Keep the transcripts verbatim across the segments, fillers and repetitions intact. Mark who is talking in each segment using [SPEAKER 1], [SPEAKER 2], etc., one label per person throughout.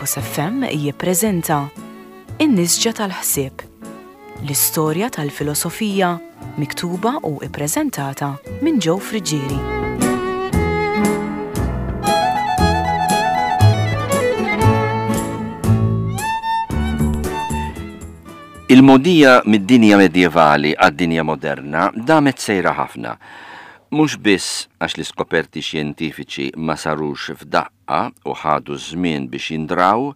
[SPEAKER 1] Campus F M jippreżenta In-Nisġa tal-Ħsieb, l-istorja tal-filosofija miktuba u ippreżentata minn Joe Friggieri.
[SPEAKER 2] Il-mogħdija mid-dinja medjevali għad-dinja moderna damet sejra ħafna. Mhux biss għax l-iskoperti xjentifiċi ma sarux f'daqqa u ħadu żmien biex jindraw,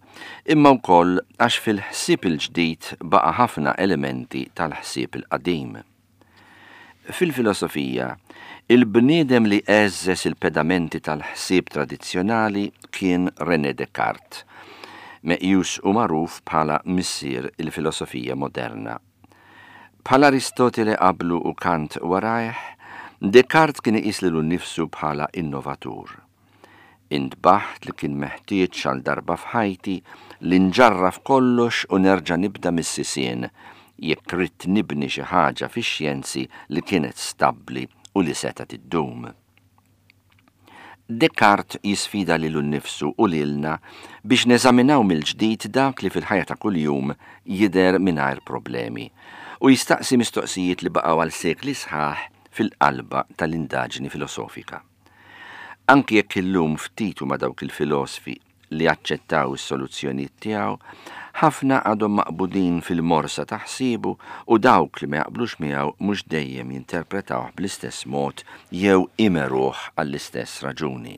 [SPEAKER 2] imma wkoll għax fil-ħsieb il-ġdid baqa' ħafna elementi tal-ħsieb il-qadim. Fil-filosofija, il-bniedem li għeżżeż il-pedamenti tal-ħsieb tradizzjonali kien René Descartes, meqjus u magħruf bħala missier il-filosofija moderna. Bħal Aristotele qablu u Kant warajh, Descartes kien iqis lilu nnifsu bħala innovatur. Intbaħt li kien meħtieġ għal darba f'ħajti li nġarraf kollox u nerġa' nibda mis-sisien jekk ridt nibni xi ħaġa fix-xjenzi li kienet stabbli u li setgħet iddum. Descartes jisfida lilu nnifsu u lilna biex neżaminaw mill-ġdid dak li fil-ħajja ta' kuljum jidher mingħajr problemi u jistaqsi mistoqsijiet li baqgħu għal sekli sħaħ fil-qalba tal-indaġni filosofika. Anki jekk illum ftit huma dawk il-filosofi li aċċettaw is-soluzzjonijiet tiegħu, ħafna għadhom maqbudin fil-morsa ta' ħsiebu u dawk li ma jaqblux miegħu mhux dejjem jinterpretawh bl-istess mod jew imeruh għall-istess raġuni.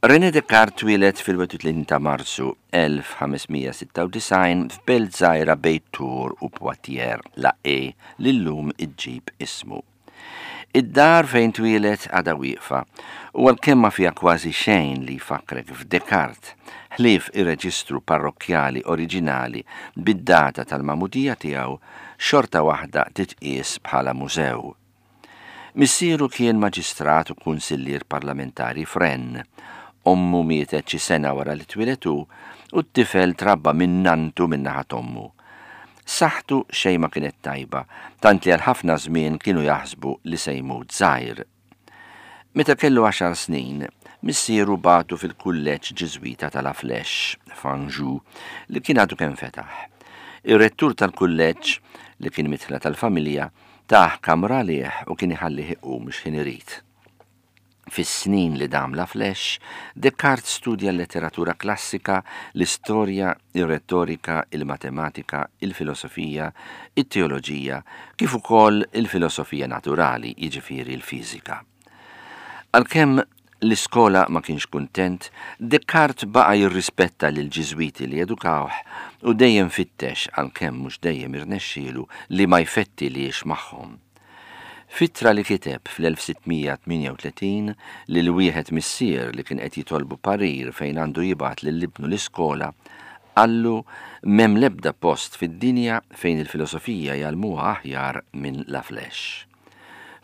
[SPEAKER 2] René Descartes twieled fil-wieħed u tletin ta' Marzu elf ħames mija sitta u disgħin f'belt żgħira bejn Tours u Poitiers, La Haye, li llum iġġib ismu. Id-dar fejn twieled għadha wieqfa u għalkemm ma fiha kważi xejn li jfakkrek f'Descartes, ħlief ir-reġistru parrokkjali oriġinali bid-data tal-magħmudija tiegħu, xorta waħda titqies bħala mużew. Missieru kien maġistrat u kunsillier parlamentari f'Rennes. Ommu mietet xi sena wara li twieled hu u t-tifel trabba minn nantu minn naħa t'ommu. Saħħtu xejn ma kienet tajba, tant li għal ħafna żmien kienu jaħsbu li se jmut żgħir. Meta kellu għaxar snin, missieru bagħtu fil-kulleġġ Ġiżwita ta' La Flèche, f'Anjou, li kien għadu kemm fetaħ. Ir-rettur tal-kulleġġ, li kien mitħla tal-familja, tah kamra għalih u kien iħallih iqum x'ħin irid. Fis-snin li dam La Flèche, Descartes studja l-letteratura klassika, l-istorja, ir-retorika, il-matematika, il-filosofija, it-teoloġija, kif ukoll il-filosofija naturali, jiġifieri l-fiżika. Għalkemm l-iskola ma kienx kuntent, Descartes baqa' jirrispetta lil Ġiżwiti li edukawh u dejjem fittex, għalkemm mhux dejjem irnexxielu, li ma jfettilix magħhom. F'ittra li kiteb fl-elf sitt mija tmienja u tletin lil wieħed missier li kien qed jitolbu parir fejn għandu jibgħat lil ibnu l-iskola, qallu m'hemm l-ebda post fid-dinja fejn il-filosofija jgħallmuha aħjar minn La Flèche.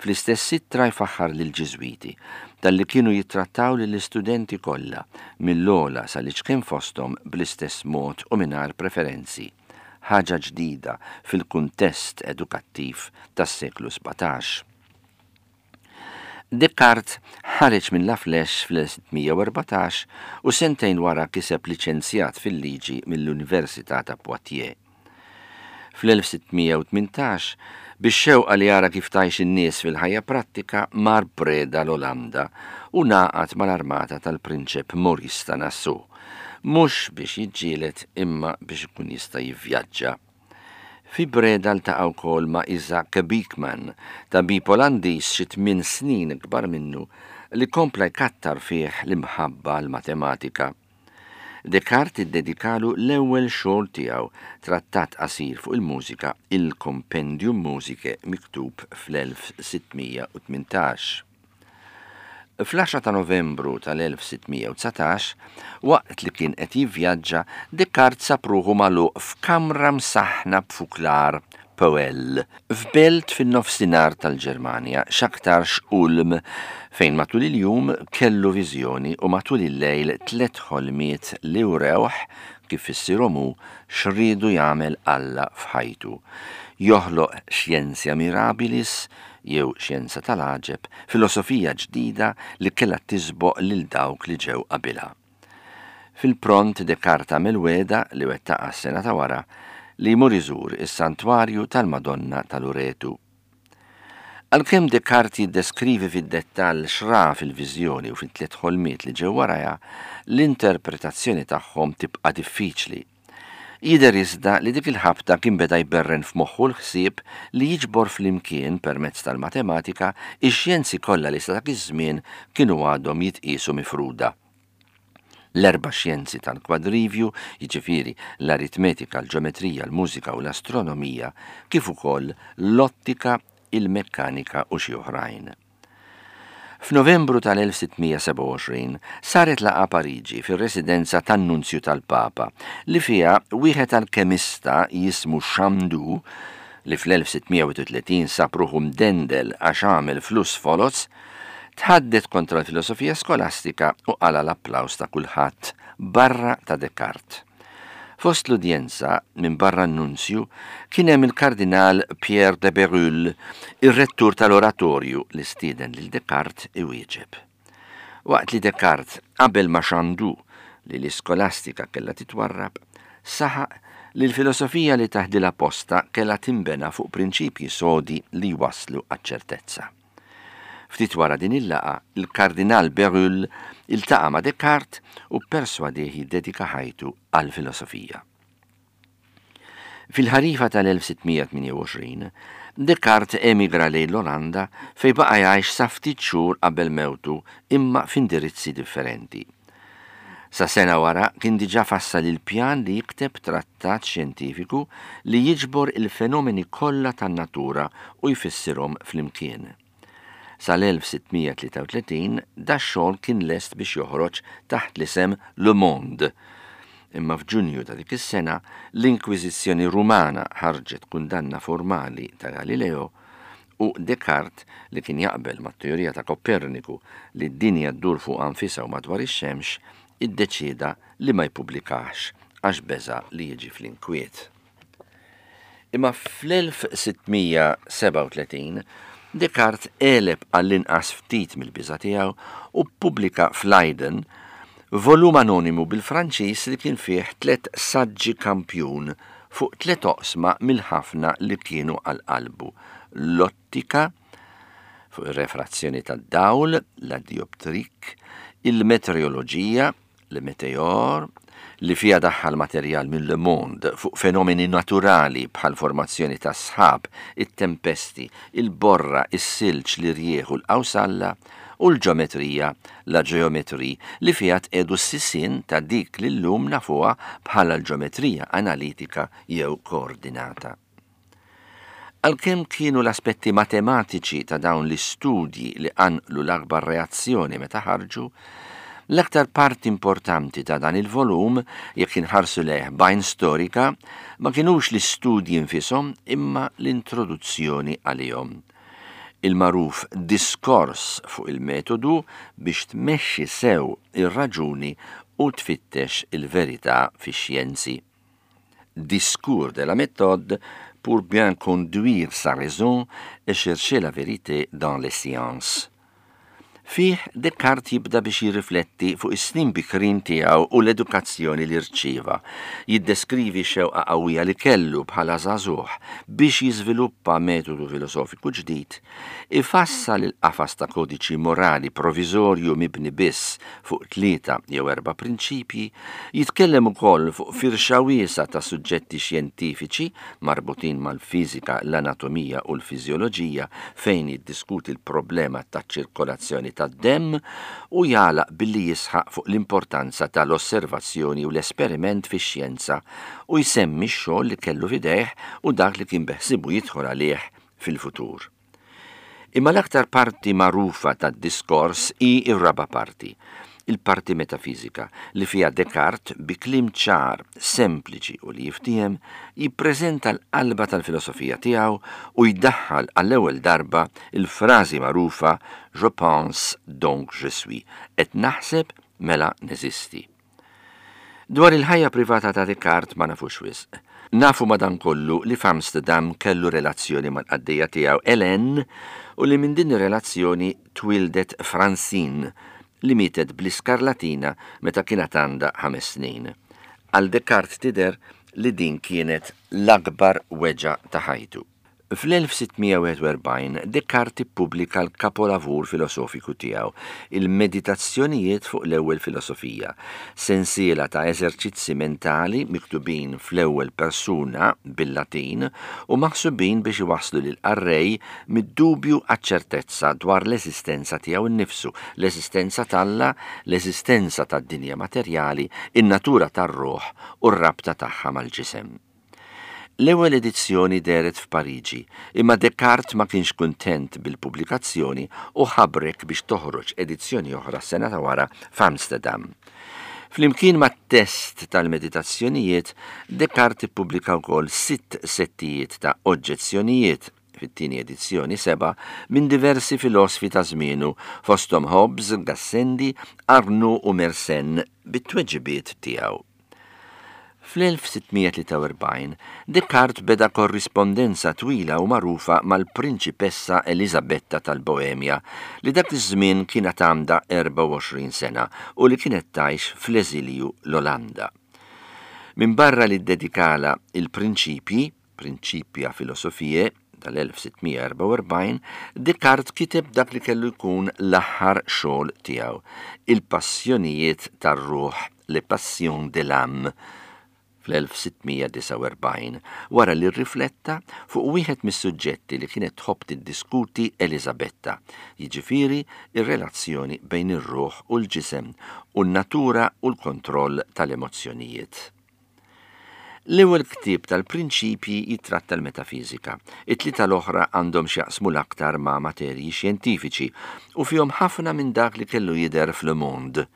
[SPEAKER 2] Fl-istess ittra jfaħħar lil Ġiżwiti talli kienu jittrattaw lill-istudenti kollha mill-ogħla sal-iċken fosthom bl-istess mod u mingħajr preferenzi, ħaġa ġdida fil-kuntest edukattiv tas-seklu sbatax. Descartes ħareġ minn La Flèche fl-elf sitt mija u erbatax u sentejn wara kiseb liċenzjat fil-liġi mill-Università ta' Poitiers. Fl-elf sitt mija u tmintax, bix-xewqa li jara kif tgħix in-nies fil-ħajja prattika, mar Breda l-Olanda u ngħaqad mal-armata tal-Prinċep Maurice ta' Nassau, mhux biex jiġġieled imma biex ikun jista' jivvjaġġa. Fi Breda ltaqa' wkoll ma' Isaac Beekman, tabib Olandiż xi tmien snin ikbar minnu, li kompla jkattar fih l-imħabba l-matematika. Descartes iddedikalu l-ewwel xogħol tiegħu, trattat qasir fuq il-mużika, il-Compendium Musicae, miktub fl-elf sitt mija u tmintax. Fl-għaxra ta' Novembru tal-elf sitt mija u dsatax, waqt li kien qed jivvjaġġa, Descartes sab ruħu magħluq f'kamra msaħna b'fuklar poêle f'belt fin-nofsinhar tal-Ġermanja, x'aktarx Ulm, fejn matul il-jum kellu viżjoni u matul il-lejl tliet ħolmiet li wrewh, kif fissirhom hu, x'riedu jagħmel Alla f'ħajtu. Joħloq xjenzja mirabilis, jew xjenza tal-għaġeb, filosofija ġdida li kellha tisboq lil dawk li ġew qabilha. Fil-pront Descartes għamel wegħda li wettaqha s-sena ta' wara li jmur iżur is-santwarju tal-Madonna ta' Luretu. Għalkemm Descartes jiddeskrivi fid-dettall x'ra fil-viżjoni u fit-tliet ħolmiet li ġew warajha, l-interpretazzjoni tagħhom tibqa' diffiċli. Jidher iżda li dik il-ħabta kien beda jberren f'moħħu l-ħsieb li jiġbor flimkien permezz tal-matematika ix-xjenzi kollha li sa dak iż-żmien kienu għadhom jitqiesu mifruda. L-erba' xjenzi tal-kwadrivju, jiġifieri l-aritmetika, l-ġeometrija, l-mużika u l-astronomija, kif ukoll l-ottika, il-mekkanika u xi oħrajn. F'Novembru tal-elf sitt mija sebgħa u għoxrin saret laqgħa Pariġi fir-residenza tan-Nunzju tal-Papa li fiha wieħed alkemista jismu Chandu, li fl-elf sitt mija u tletin sab ruħu mdendel għax għamel flus foloz, tħaddet kontra l-filosofija skolastika u qala l-applaws ta' kulħadd barra ta' Descartes. Fost l-udjenza, minn barra n-nunzju, kien hemm il-kardinal Pierre de Bérulle, ir-rettur tal-oratorju li stieden lil Descartes iwieġeb. Waqt li Descartes qabel ma' Chandu li l-iskolastika kellha titwarrab, saħaq li l-filosofija li taħdilha posta kellha timbena fuq prinċipji sodi li waslu għaċ-ċertezza. Ftit wara din il-laqgħa, il-kardinal Bérulle iltaqa' ma' Descartes u perswadih jiddedika ħajtu għall-filosofija. Fil-ħarifa tal-elf sitt mija tmienja u għoxrin, Descartes emigra lejn l-Olanda fej baqa' jgħix sa ftit xhur qabel mewtu, imma f'indirizzi differenti. Sa sena wara kien diġà fassal il-pjan li jikteb trattat xjentifiku li jiġbor il-fenomeni kollha tan-natura u jfissirhom flimkien. Sal-elf sitt mija tlieta u tletin dax-xogħol kien lest biex joħroġ taħt l-isem Le Monde. Imma f'Ġunju ta' dik is-sena l-Inkwiżizzjoni Rumana ħarġet kundanna formali ta' Galileo u Descartes, li kien jaqbel mat-teorija ta' Koperniku li d-dinja ddur fuq nfisha u madwar ix-xemx, iddeċieda li ma jippubblikax għax beża li jiġi fl-inkwiet. Imma fl-elf sitt mija sebgħa u tletin Descartes għeleb għall-inqas ftit mill-biża tiegħu u ppubblika f'Leiden volum anonimu bil-Franċiż li kien fih tliet saġġi kampjun fuq tliet oqsma mill-ħafna li kienu għal qalbu: l-ottika, fuq ir-refrazzjoni tad-dawl, la dioptrique, il-meteoroloġija, le météore, li fija daħħal materjal minn Le Monde fuq fenomeni naturali bħal formazzjoni ta' sħab, it-tempesti, il-borra, is-silġ, l-irjieħ u l-qawsalla, u l-ġeometrija, la géométrie, li fija tqiegħdu s-sisien ta' dik li llum nafuha bħala l-ġeometrija analitika jew koordinata. Għalkemm kienu l-aspetti matematiċi ta' dawn l-istudji li qanqlu l-akbar reazzjoni meta ħarġu, l-aktar parti importanti ta' dan il-volum, jekk inħarsu lejh b'għajn storika, ma kienux l-istudji nfishom imma l-introduzzjoni għalihom. Il-magħruf diskors fuq il-metodu biex tmexxi sew ir-raġuni u tfittex il-verità fix-xjenzi. Discours de la méthode pour bien conduire sa raison et chercher la vérité dans les sciences. Fih Descartes jibda biex jirrifletti fuq is-snin bikrin tiegħu u l-edukazzjoni li rċieva. Jiddeskrivi xewqa qawwija li kellu bħala żagħżugħ biex jiżviluppa metodu filosofiku ġdid, ifassal il-qafas ta' kodiċi morali proviżorju mibni biss fuq tlieta jew erba' prinċipji, jitkellem ukoll fuq firxa wiesgħa ta' suġġetti xjentifiċi marbutin mal-fiżika, l-anatomija u l-fiżjoloġija, fejn jiddiskuti l-problema taċ-ċirkolazzjoni tad-demm, u jagħlaq billi jisħaq fuq l-importanza tal-osservazzjoni u l-esperiment fix-xjenza u jsemmi x-xogħol li kellu f'idejh u dak li kien beħsibu jidħol għalih fil-futur. Imma l-aktar parti magħrufa tad-diskors hi r-raba' parti, il-parti metafizika, li fija Descartes bi kliem ċar, sempliċi u li jiftiehem, jippreżenta l-qalba tal-filosofija tiegħu u jdaħħal għall-ewwel darba il-frażi magħrufa Je pense, donc je suis, qed naħseb mela neżisti. Dwar il-ħajja privata ta' Descartes ma nafux wisq. Nafu madankollu li f'Amsterdam kellu relazzjoni mal-qaddejja tiegħu Hélène u li minn din ir-relazzjoni twildet Francine, li mietet bl-iskarlatina meta kienet għandha ħames snin. Għal Descartes tidher li din kienet l-akbar weġgħa ta' ħajtu. Fl-elf sitt mija wieħed u erbgħin Descartes ippubblika l-kapolavur filosofiku tiegħu, il-Meditazzjonijiet fuq l-ewwel filosofija, sensiela ta' eżerċizzi mentali miktubin fl-ewwel persuna bil-Latin u maħsubin biex iwasslu lil qarrej mid-dubju għaċ-ċertezza dwar l-eżistenza tiegħu nnifsu, l-eżistenza t'Alla, l-eżistenza tad-dinja materjali, in-natura tar-ruħ u r-rabta tagħha mal-ġisem. L-ewwel edizzjoni dehret f'Pariġi, imma Descartes ma kienx kuntent bil-pubblikazzjoni u ħabrek biex toħroġ edizzjoni oħra sena ta' wara f'Amsterdam. Flimkien ma' test tal-meditazzjonijiet, Descartes ippubblika wkoll sitt settijiet ta' oġġezzjonijiet, fit-tieni edizzjoni seba', minn diversi filosfi ta' żmienu, fosthom Hobbes, Gassendi, Arnaud u Mersenne, bit-tweġibiet tiegħu. Fl-elf sitt mija tlieta u erbgħin, Descartes beda korrispondenza twila u magħrufa mal-prinċipessa Elisabetta tal-Boemja, li dak iż-żmien kienet għandha erbgħa u għoxrin sena u li kienet tgħix fl-eżilju l-Olanda. Min barra li ddedikala il-prinċipji, Principia Philosophiae, tal-elf sitt mija erbgħa u erbgħin, Descartes kiteb dak li kellu jkun l-aħħar xogħol tiegħu, il-Passjonijiet tar-Ruħ, Le Passion de l'Âme, fl-elf sitt mija disgħa u erbgħin, wara li rrifletta fuq wieħed mis-suġġetti li kienet tħobb tiddiskuti Elisabetta, jiġifieri ir-relazzjoni bejn ir-ruħ u l-ġisem u n-natura u l-kontroll tal-emozzjonijiet. L-ewwel ktieb tal-prinċipji jitratta l-metafiżika. It-tlieta l-oħra għandhom x'jaqsmu l-aktar ma' materji xjentifiċi u fihom ħafna minn dak li kellu jidher f'Le Monde.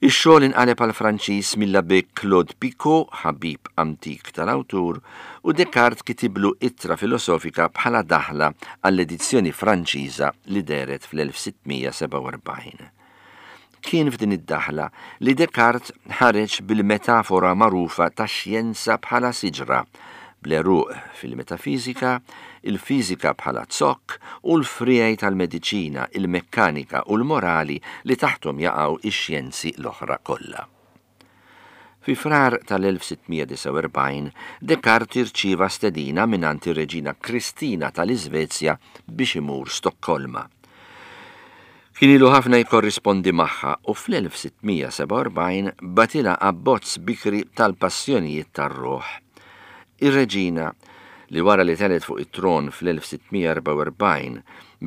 [SPEAKER 2] Ix-xogħol inqaleb għal Franċiż mill-Abbé Claude Picot, ħabib antik tal-awtur, u Descartes kitiblu ittra filosofika bħala daħla għall-edizzjoni Franċiża li dehret fl-elf sitt mija sebgħa u erbgħin. Kien f'din id-daħla li Descartes ħareġ bil-metafora magħrufa tax-xjenza bħala siġra, bl-għeruq fil-metafiżika, il-fiżika bħala zokk u l-friegħi tal-mediċina, il-mekkanika u l-morali li taħtom jaqgħu ix-xjenzi l-oħra kollha. Fi Frar tal-elf sitt mija disgħa u erbgħin, Descartes irċieva stedina mingħand ir-Reġina Kristina tal-Iżvezja biex imur Stokkolma. Kien ilu ħafna jkorrispondi magħha u fl-elf sitt mija sebgħa u erbgħin batilha abbozz bikri tal-Passjonijiet tar-Ruħ. Ir-Reġina, li wara li telet fuq it-tron fl-elf sitt mija erbgħa u erbgħin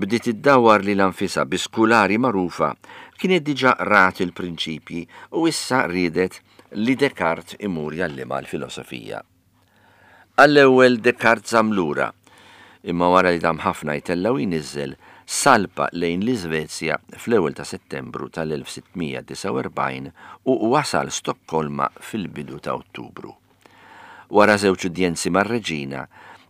[SPEAKER 2] bdiet iddawwar lilha nfisha bi skulari magħrufa, kienet diġà rat il-prinċipji u issa riedet li Descartes imur jgħallimha l-filosofija. Għall-ewwel Descartes żamm lura, imma wara li dam ħafna jtella' u jniżżel, salpa lejn l-Iżvezja fl-ewwel ta' Settembru tal-elf sitt mija disgħa u erbgħin u wasal Stokkolma fil-bidu ta' Ottubru. Wara żewġ udjenzi mar-reġina,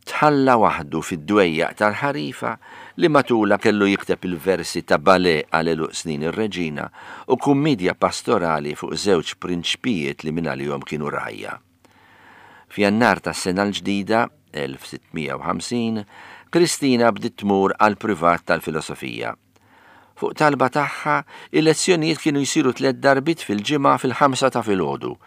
[SPEAKER 2] tħalla waħdu fid-dwejjaq tal-ħarifa li matula kellu jikteb il-versi ta' ballet għal għeluq snin ir-reġina u kummedja pastorali fuq żewġ prinċpijiet li minn għalihom kienu rajja. F'Jannar tas-sena l-ġdida, elf sitt mija u ħamsin, Kristina bdiet tmur għal privat tal-filosofija. Fuq talba tagħha, il-lezzjonijiet kienu jsiru tliet darbiet fil-ġimgħa fil-ħamsa ta' filgħodu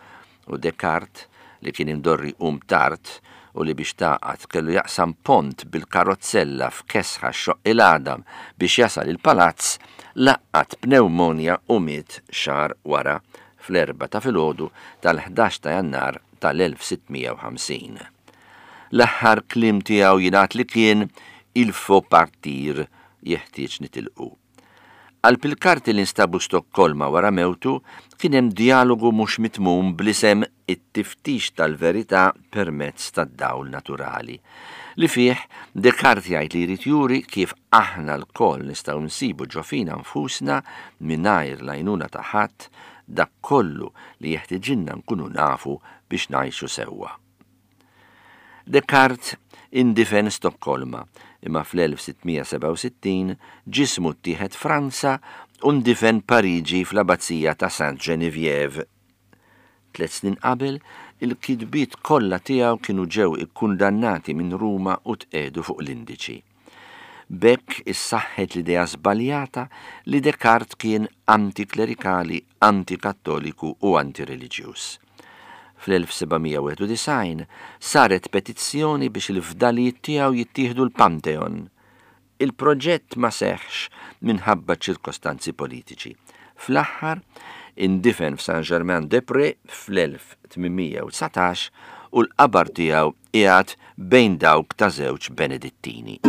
[SPEAKER 2] u Descartes, li kien imdorri um tard u li biex taqat kellu jaqsam pont bil-karozzella f'kesħa xoq il-għadam biex jasal il-palazz, laqqat pneumonja u miet xahar wara fl-erbgħa ta' filgħodu tal-ħdax ta' Jannar tal-elf sitt mija u ħamsin. L-aħħar kliem tiegħu jingħad li kien il faut partir, jeħtieġ nitilqu. Għal pil-karti li nstabu Stokkolma wara mewtu kien hemm dialogu mhux mitmum bl-isem it-tiftix tal-verità permezz tad-dawl naturali, li fih Descartes jgħid li jrid juri kif aħna lkoll nistgħu nsibu ġo fina nfusna mingħajr l-għajnuna ta' ħadd dak kollu li jeħtieġilna nkunu nafu biex ngħixu sewwa. Descartes indifen Stokkolma, imma fl-elf sitt mija sebgħa u sittin ġismu ttieħed Franza u ndifen Pariġi fl-Abbazija ta' Saint Geneviève. Tliet snin qabel, il-kitbiet kollha tiegħu kienu ġew ikkundannati minn Ruma u tqiegħdu fuq l-indiċi. B'hekk issaħħet l-idea żbaljata li Descartes kien antiklerikali, antikattoliku u antireliġjuż. Fl-elf sebgħamija wieħed u disgħin saret petizzjoni biex il-fdalijiet tiegħu jittieħdu l-Pantheon. Il-proġett ma seħħx minħabba ċirkostanzi politiċi. Fl-aħħar indifen f'Saint-Germain-des-Prés fl-elf tmien mija u dsatax u l-qabar tiegħu qiegħed bejn dawk ta' żewġ Benedittini.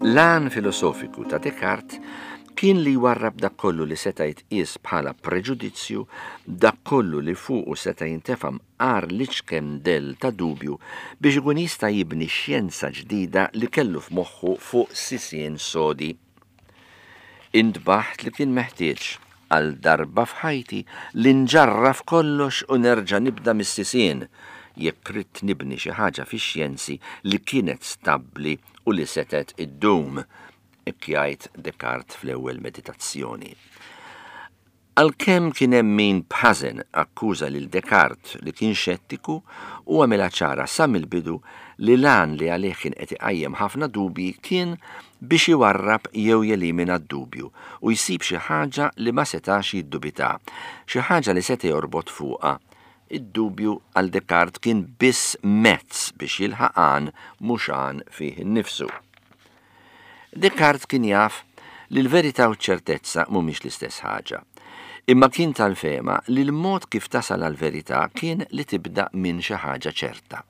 [SPEAKER 2] L-għan filosofiku ta' Descartes kien li jwarrab dak kollu li seta' jitqies bħala preġudizzju, dak kollu li fuqu seta' jintefa' mqar l-iċken dell ta' dubju biex ikun jista' jibni xjenza ġdida li kellu f'moħħu fuq sisien sodi. Intbaħt li kien meħtieġ għal darba f'ħajti li nġarraf kollox u nerġa' nibda mis-sisien jekk ridt nibni xi ħaġa fix-xjenzi li kienet stabbli u li setet iddum, hekk jgħid Descartes fl-ewwel meditazzjoni. Għalkemm kien hemm min b'ħażen akkuża lil Descartes li kien xettiku, u għamilha ċara sa mill-bidu li l-għan li għalih kien qed iqajjem ħafna dubji kien biex iwarrab jew jelimina d-dubju u jsib xi ħaġa li ma setax jiddubita, xi ħaġa li seta' jorbot fuqha. Id-dubju għal Descartes kien biss mezz biex jilħaq għan mhux għan fih innifsu. Descartes kien jaf li l-verità u ċ-ċertezza mhumiex l-istess ħaġa, imma kien tal-fehma li l-mod kif tasal għall-verità kien li tibda minn xi ħaġa ċerta.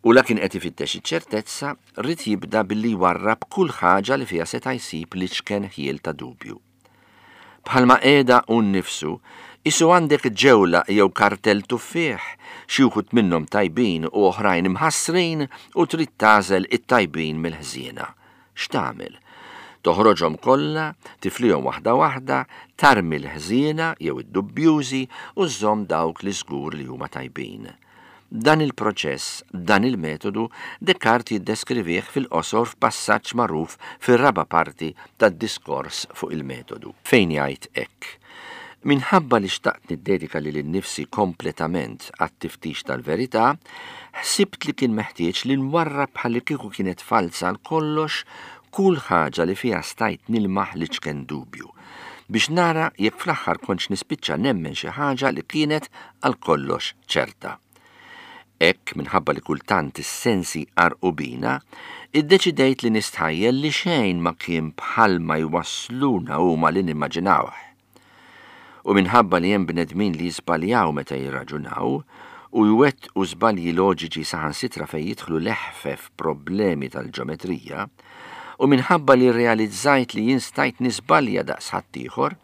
[SPEAKER 2] U la kien qed ifittex iċ-ċertezza, ried jibda billi jwarrab kull ħaġa li fiha seta' jsib l-iċken ħjiel ta' dubju. Bħalma qiegħda hu nnifsu, isu għandek ġewla jew kartell tuffieħ, xi wħud minnhom tajbin u oħrajn imħassrin u trid tagħżel it-tajbin mill-ħżiena. X'tagħmel? Toħroġhom kollha, tiflihom waħda waħda, tarmi l-ħżiena jew id-dubbjużi u żżomm dawk li żgur li huma tajbin. Dan il-proċess, dan il-metodu, Descartes jiddeskrivih fil-qosor f'passaġġ magħruf fir-raba' parti tad-diskors fuq il-metodu, fejn jgħid hekk: Minħabba li xtaqt niddedika lili nnifsi kompletament għat-tiftix tal-verità, ħsibt li kien meħtieġ li nwarrab bħalli kieku kienet falsa għal kollox kull ħaġa li fiha stajt nilmaħ li ċken dubju, biex nara jekk fl-aħħar kontx nispiċċa nemmen xi ħaġa li kienet għal kollox ċerta. Hekk, minħabba li kultant is-sensi qarqu bina, iddeċidejt li nistħajjel li xejn ma kien bħalma jwassluna huma li nimmaġinawh. U minħabba li hemm bnedmin li jiżbaljaw meta jirraġunaw u jwettqu żbalji loġiċi saħansitra fejn jidħlu leħfef problemi tal-ġeometrija, u minħabba li rrealizzajt li jien stajt niżbalja daqs ħaddieħor,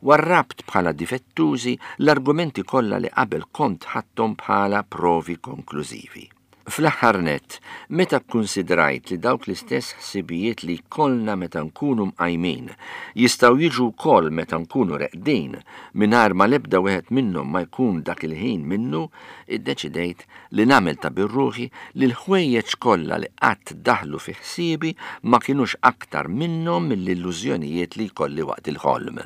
[SPEAKER 2] warrabt bħala difettużi l-argumenti kollha li qabel kont ħadthom bħala provi konklużivi. Fl-aħħar nett, meta kkunsidrajt li dawk l-istess ħsibijiet li jkollna meta nkunu mqajmin jistgħu jiġu wkoll meta nkunu reqdin mingħajr ma l-ebda wieħed minnhom ma jkun dak il-ħin minnu, iddeċidejt li nagħmel ta' birruħi li l-ħwejjeġ kollha li qatt daħlu fi ħsiebi ma kinux aktar minnhom mill-illużjonijiet li jkolli waqt il-ħolm.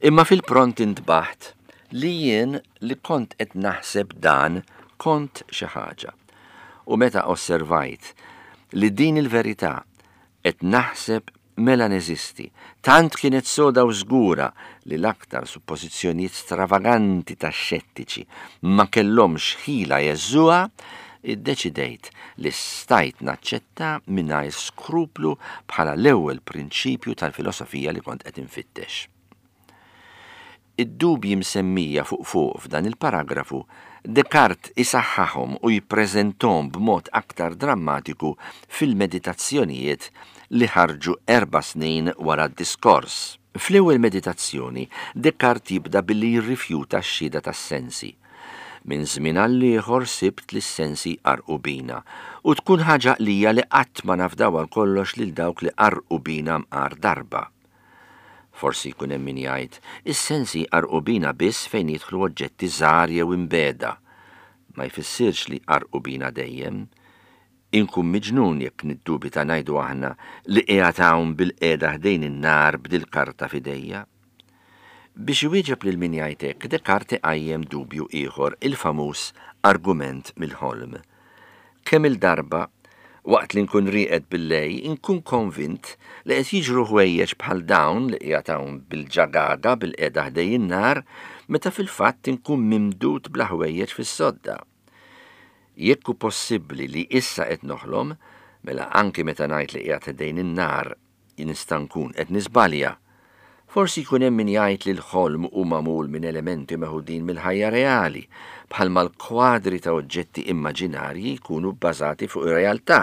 [SPEAKER 2] Imma fil-pront intbaħt li jien li kont qed naħseb dan kont xi ħaġa. U meta osservajt li din il-verità qed naħseb mela neżisti, tant kienet soda u żgura li l-aktar suppożizzjonijiet stravaganti tax-xettiċi ma kellhomx ħila jeżżuha, iddeċidejt li stajt naċċetta mingħajr skruplu bħala l-ewwel prinċipju tal-filosofija li kont qed infittex. Id-dubji msemmija fuq fuq f'dan il-paragrafu, Descartes isaħħahom u jippreżentom b'mod aktar drammatiku fil-meditazzjonijiet li ħarġu erba' snin wara d-diskors. Fl-ewwel meditazzjoni, Descartes jibda billi jirrifjuta x-xhieda tas-sensi. Minn żmien għal ieħor sibt li s-sensi qarqu bina u tkun ħaġa għalija li qatt ma nafdaw għal kollox lil dawk li qarqu bina mqar darba. Forsi jkun hemm min jgħid, is-sensi qarqu bina biss fejn jidħlu oġġetti żgħar jew imbeda. ma jfissirx li qarrqu bina dejjem. Inkun miġnun jekk niddubita, ngħidu aħna, li qiegħed hawn bilqiegħda ħdejn in-nar b'dil-karta f'idejja. Biex iwieġeb lil min jgħid hekk, Descartes qajjem dubju ieħor, il-famuż argument mill-ħolm. Kemm il-darba, waqt li nkun rieqed bil-lejl, inkun konvint li qed jiġru ħwejjeġ bħal dawn li qiegħed hawn bil-ġagaga bilqiegħda ħdejn in-nar, meta fil-fatt inkun mimdud bla ħwejjeġ fis-sodda. Jekk hu possibbli li issa qed noħlom, mela anki meta ngħid li qiegħed ħdejn in-nar nista' nkun qed niżbalja. Forsi jkun hemm min jgħid li l-ħolm hu magħmul minn elementi meħudin mill-ħajja reali, bħalma l-kwadri ta' oġġetti immaġinarji jkunu bbażati fuq ir-realtà.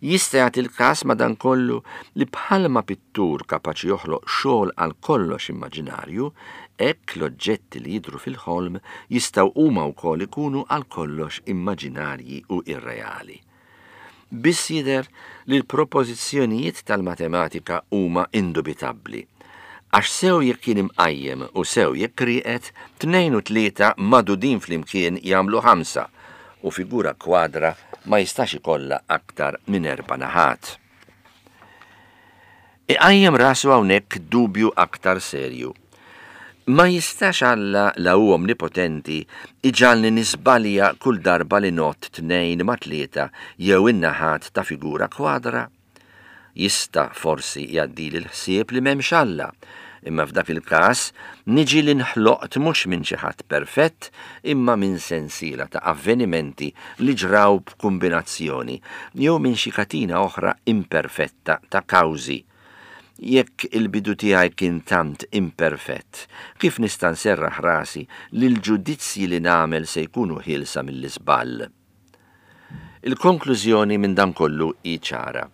[SPEAKER 2] Jista' jagħti l-każ madankollu li bħalma pittur kapaċi joħloq xogħol għal kollox immaġinarju, hekk l-oġġetti li jidhru fil-ħolm jistgħu huma wkoll ikunu għal kollox immaġinarji u irreali. Biss jidher li l-propożizzjonijiet tal-matematika huma indubitabbli. Għax sew jekk kien imqajjem u sew jekk rieqed, tnejn u tlieta magħdudin flimkien jagħmlu ħamsa u figura kwadra ma jistax ikollha aktar minn erba' naħat. Iqajjem rasu hawnhekk dubju aktar serju. Ma jistax Alla la hu omnipotenti iġagħalni niżbalja kull darba li ngħodd tnejn ma' tlieta jew in-naħat ta' figura kwadra? Jista' forsi jgħaddili l-ħsieb li m'hemmx Alla, imma f'dak il-każ niġi li nħloqt mhux minn xi ħadd perfett imma minn sensiela ta' avvenimenti li ġraw b'kombinazzjoni jew minn xi katina oħra imperfetta ta' kawżi. Jekk il-bidu tiegħi kien tant imperfett, kif nista' nserraħ rasi li l-ġudizzji li nagħmel se jkunu ħielsa mill-iżball? Il-konklużjoni minn dan kollu hi ċara.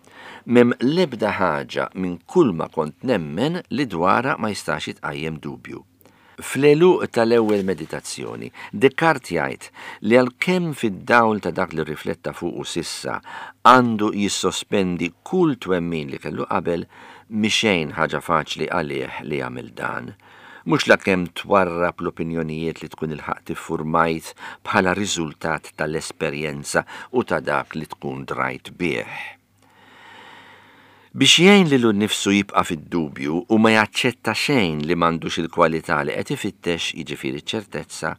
[SPEAKER 2] M'hemm l-ebda ħaġa minn kull ma kont nemmen li dwarha ma jistax jitqajjem dubju. Fl-għeluq tal-ewwel meditazzjoni, Descartes jgħid li għalkemm fid-dawl ta' dak li rifletta fuqu s'issa għandu jissospendi kull twemmin li kellu qabel, mhi xejn ħaġa faċli għalih li jagħmel dan. Mhux lakemm twarrab l-opinjonijiet li tkun ilħaqt iffurmajt bħala riżultat tal-esperjenza u ta' dak li tkun drajt bih. Biex jgħin lilu nnifsu jibqa' fid-dubju u ma jaċċetta xejn li m'għandux il-kwalità li qed ifittex, jiġifieri ċertezza,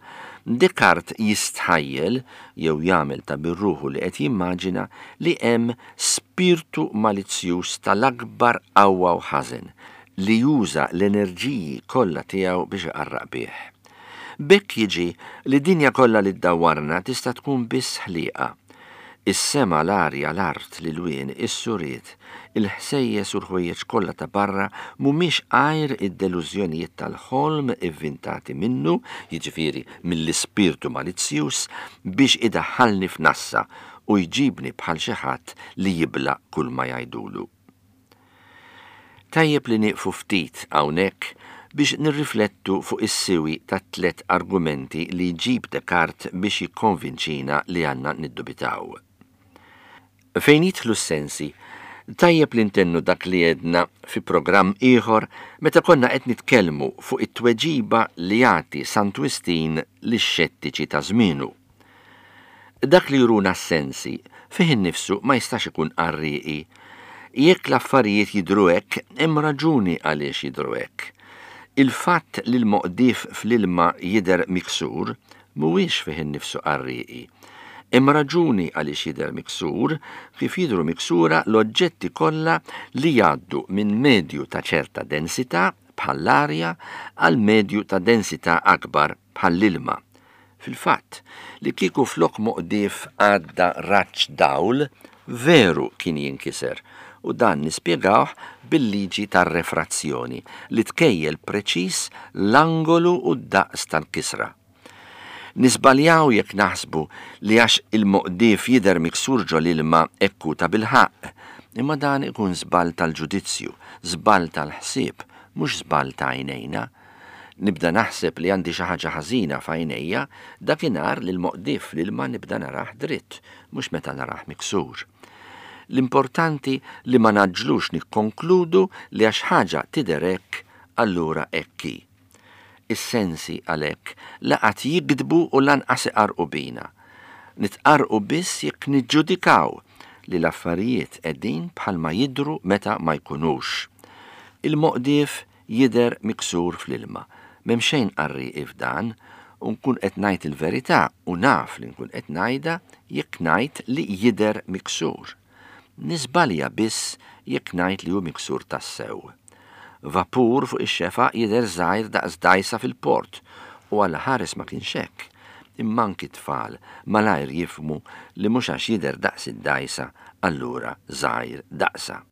[SPEAKER 2] Descartes jistħajjel jew jagħmel ta' birruħu li qed jimmaġina li hemm spirtu malizzjuż tal-akbar qawwa u ħażen li juża l-enerġiji kollha tiegħu biex iqarraq bih. B'hekk jiġi li dinja kollha li ddawwarna tista' tkun biss ħliqa. Is-sema, l-arja, l-art, l-ilwien, is-suriet, il-ħsejjes u l-ħwejjeġ kollha ta' barra mhumiex għajr id-delużjonijiet tal-ħolm ivvintati minnu, jiġifieri mill-ispirtu malizzjuż, biex idaħħalni f'nassa u jġibni bħal xi ħadd li jibla' kull ma jgħidulu. Tajjeb li nieqfu ftit hawnhekk biex nirriflettu fuq is-siwi ta' tliet argumenti li jġib Descartes biex jikkonvinċina li għandna niddubitaw. Fejn jidħlu s-sensi, tajjeb li ntennu dak li għedna fi programm ieħor meta konna qed nitkellmu fuq it-tweġiba li jagħti Sant Wistin lix-xettiċi ta' żmienu. Dak li juruna s-sensi fih innifsu ma jistax ikun qarrieqi. Jekk l-affarijiet jidhru hekk, hemm raġuni għaliex jidhru hekk. Il-fatt li l-moqdif fl-ilma jidher miksur mhuwiex fih innifsu qarrieqi. Hemm raġuni għaliex jidher miksur, kif jidhru miksura l-oġġetti kollha li jgħaddu minn medju ta' ċerta densità bħall-arja għal medju ta' densità akbar bħall-ilma. Fil-fatt, li kieku flok moqdif għadda raġġ dawl, veru kien jinkiser, u dan nispjegawh bil-liġi tar-refrazzjoni li tkejjel preċiż l-angolu u d-daqs tal-kisra. Nisbaljaw jekk naħsbu li għax il-moqdif jidher miksur ġol ilma ekku ta' bilħaqq, imma dan ikun żball tal-ġudizzju, żball tal-ħsieb, mhux żball ta' għajnejna. Nibda naħseb li għandi xi ħaġa ħażina f'għajnejja dakinhar li l-moqdif l-ilma nibda narah dritt, mhux meta narah miksur. L-importanti li ma naġlux nikkonkludu li għax ħaġa tidher hekk, allura hekk hi. Is-sensi għalhekk la qatt jigdbu u lanqas iqarrqu bina. Nitqarrqu biss jekk niġġudikaw li l-affarijiet qegħdin bħalma jidhru meta ma jkunux. Il-moqdief jidher miksur fl-ilma. M'hemm xejn qarrieqi f'dan u nkun qed ngħid il-verità u naf li nkun qed ngħidha jekk ngħid li jidher miksur. Niżbalja biss jekk ngħid li hu miksur tassew. Vapur fuq ix-xefaq jidher żgħir daqs dgħajsa fil-port u Alla ħares ma kienx hekk. Imma anki t-tfal malajr jifhmu li mhux għax jidher daqs id-dgħajsa allura żgħir daqsha.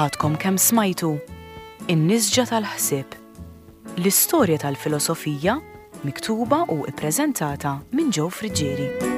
[SPEAKER 1] Għadkom kemm smajtu In-Nisġa tal-Ħsieb, l-istorja tal-filosofija miktuba u ippreżentata minn Joe Friggieri.